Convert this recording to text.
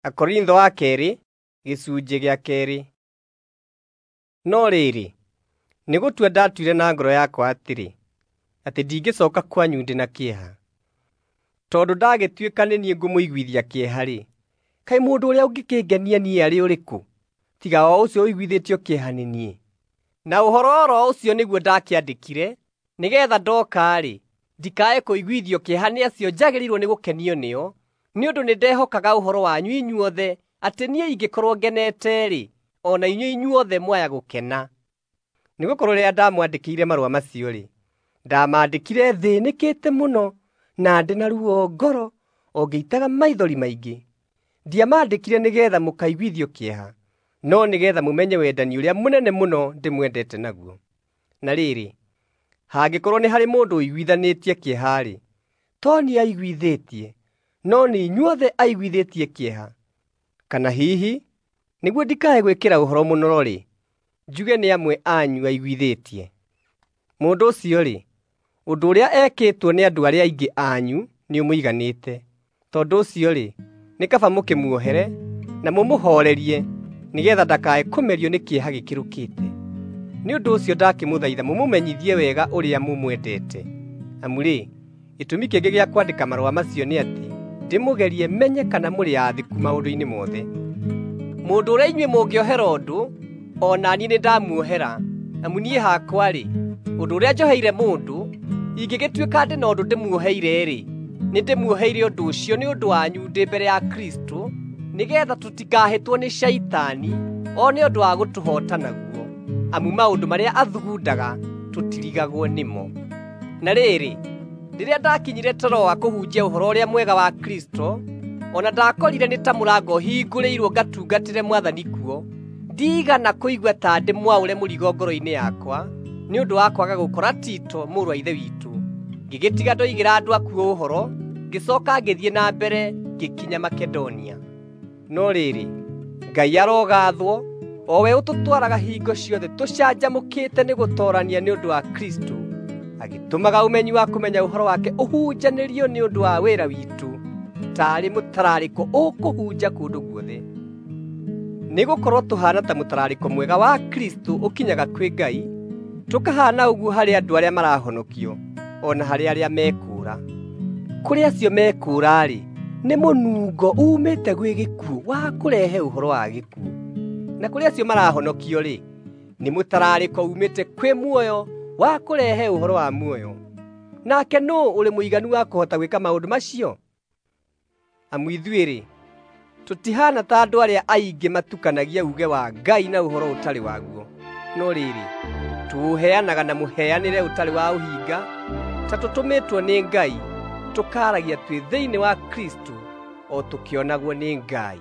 Akorintho wa kerĩ gĩcunjĩ gĩa kerĩ. No rĩrĩ, nĩ gũtua ndatuire na ngoro yakwa atĩrĩ, atĩ ndingĩcoka kwanyu ndĩ na kĩeha. Tondũ ndagĩtuĩka nĩ niĩ ngũmũiguithia kĩeha-rĩ, kaĩ mũndũ ũrĩa ũngĩkĩngenia niĩ arĩ ũrĩkũ, tiga o ũcio ũiguithĩtio kĩeha nĩ niĩ? Na ũhoro oro ũcio nĩguo ndakĩandĩkire, nĩgeetha ndoka-rĩ, ndikae kũiguithio kĩeha nĩ acio njagĩrĩirwo nĩ gũkenio nĩo, nĩ ũndũ nĩndehokaga ũhoro wanyu inyuothe atĩ niĩ ingĩkorwo ngenete-rĩ, o na inyuĩ inyuothe mwaya gũkena. Nĩgũkorwo rĩrĩa ndamwandĩkĩire marũa macio-rĩ, ndamandĩkire thĩĩnĩkĩte mũno na ndĩ na ruo ngoro o ngĩitaga maithori maingĩ. Ndiamandĩkire nĩgeetha mũkaiguithio kĩeha, no nĩgeetha mũmenye wendani ũrĩa mũnene mũno ndĩmwendete naguo. Na rĩrĩ, hangĩkorwo nĩ harĩ mũndũ ũiguithanĩtie kĩeha-rĩ, to niĩ aiguithĩtie, no nĩ inyuothe aiguithĩtie kĩeha. Kana hihi, nĩguo ndikae gwĩkĩra ũhoro mũnoro-rĩ, njuge nĩ amwe anyu aiguithĩtie. Mũndũ ũcio-rĩ, ũndũ ũrĩa ekĩtwo nĩ andũ arĩa aingĩ anyu nĩũmũiganĩte. Tondũ ũcio-rĩ, nĩ kaba mũkĩmuohere na mũmũhoorerie nĩgeetha ndakae kũmerio nĩ kĩeha gĩkĩrũkĩte. Nĩ ũndũ ũcio ndakĩmũthaitha mũmũmenyithie wega ũrĩa mũmwendete. Amu-rĩ, gĩtũmi kĩngĩ gĩa kwandĩka marũa macio nĩ atĩ ndĩmũgerie menye kana mũrĩ aathĩku maũndũ-inĩ mothe. Mũndũ ũrĩa inyuĩ mũngĩohera ũndũ, o na niĩ nĩndamuohera. Amu niĩ hakwa-rĩ, ũndũ ũrĩa njoheire mũndũ, ingĩgĩtuĩka ndĩ na ũndũ ndĩmuoheire-rĩ, nĩndĩmuoheire ũndũ ũcio nĩ ũndũ wanyu ndĩ mbere ya Kristũ, nĩgeetha tũtikahĩtwo nĩ Shaitani one ũndũ wa gũtũhoota naguo, amu maũndũ marĩa athugundaga tũtirigagwo nĩmo. Na rĩrĩ, rĩrĩa ndakinyire Teroa kũhunjia Ũhoro-ũrĩa-Mwega wa Kristũ, o na ndakorire nĩ ta mũrango hingũrĩirwo ngatungatĩre Mwathani kuo, ndiigana kũigua ta ndĩ mwaũre mũrigo ngoro-inĩ yakwa nĩ ũndũ wa kwaga gũkora Tito mũrũ wa Ithe witũ. Ngĩgĩtiga ndoigĩra andũ akuo ũhoro, ngĩcooka ngĩthiĩ na mbere ngĩkinya Makedonia. No rĩrĩ, Ngai arogathwo, o we ũtũtwaraga hingo ciothe tũcanjamũkĩte nĩ gũtoorania nĩ ũndũ wa Kristũ, agĩtũmaga ũmenyi wa kũmenya ũhoro wake ũhunjanĩrio nĩ ũndũ wa wĩra witũ, taarĩ mũtararĩko ũkũhunja kũndũ guothe. Nĩgũkorwo tũhaana ta mũtararĩko mwega wa Kristũ ũkinyaga kwĩ Ngai, tũkahaana ũguo harĩ andũ arĩa marahonokio, o na harĩ arĩa mekũũra. Kũrĩ acio mekũũra-rĩ, nĩ mũnungo uumĩte gwĩ gĩkuũ wa kũrehe ũhoro wa gĩkuũ, na kũrĩ acio marahonokio-rĩ, nĩ mũtararĩko uumĩte kwĩ muoyo wa kũrehe ũhoro wa muoyo. Nake nũũ ũrĩ mũiganu wa kũhota gwĩka maũndũ macio? Amu ithuĩ-rĩ, tũtihaana ta andũ arĩa aingĩ matukanagia uuge wa Ngai na ũhoro ũtarĩ waguo. No rĩrĩ, tũũheanaga na mũheanĩre ũtarĩ wa ũhinga, ta tũtũmĩtwo nĩ Ngai, tũkaaragia twĩ thĩinĩ wa Kristũ o tũkĩonagwo nĩ Ngai.